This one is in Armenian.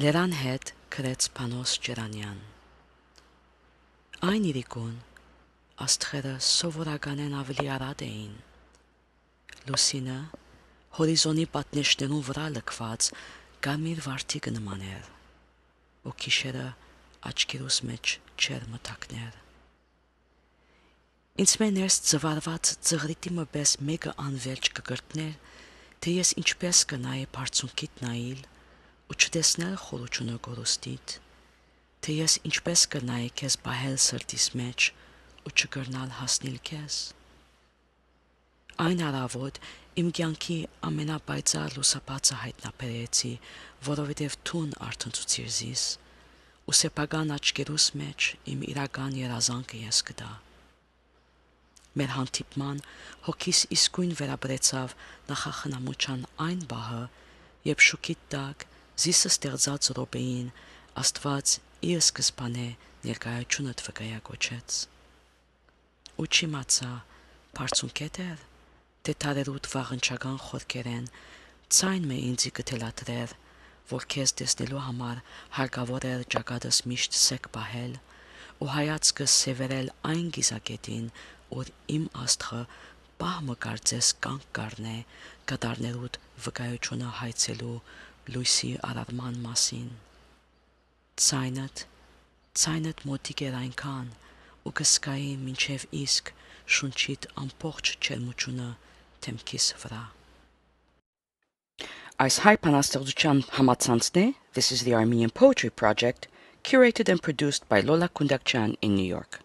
Լերան հետ գրեց Պանոս Ջրանյան։ Այն իրիկուն աստղերը սովորականեն ավելի արատ էին։ Լուսինը հորիզոնի պատնեշներուն վրա լքված գամիր վարդիկը նման էր, ու գիշերը աչքերուս մեջ չեր մտակներ։ Ինձ մեներս ծվարված ծղրիտիմը պես մեկը անվերջ կգրտներ, թե ես ինչպես կնայի բարձունքիտ նայիլ ու չտեսնել խորությունը գորուստիտ, թե ես ինչպես կնայի քեզ պահել սրտիս մեջ ու չկրնալ հասնիլ քեզ։ Այն առավոտ իմ կյանքի ամենապայծառ լուսապացը հայտնաբերեցի, որովհետև թուն արթնցուցիր զիս, ու սեփական աչքերուս մեջ իմ իրական երազանքը ես կտա։ Մեր հանդիպման հոգիս իսկույն վերաբերեցավ նախախնամության այն բահը, երբ շուքիտ տակ զիսը ստեղծած րոպեին Աստված իր սկզբանե ներկայությունդ վկայակոչեց։ Ու չիմացա բարձունքետ էր, թե թարերուտ վաղնչական խորքերեն ցայն մե ինձի կթելադրեր, որ քեզ տեսնելու համար հարկավոր էր ճակատս միշտ սեք պահել ու հայացքս սևերել այն գիզակետին, որ իմ աստղը պահմը կարծես կանք կառնե կատարներուտ վկայությունը հայցելու լույսի արարման մասին։ Ցայնդ մոտիկ էր այնքան, ու կսկայի մինչև իսկ շունչիդ ամբողջ ջերմությունը թեմքիս վրա։ Այս հայ բանաստեղծության համացանցն է This is the Armenian Poetry Project, curated and produced by Lola Kundakchan in New York.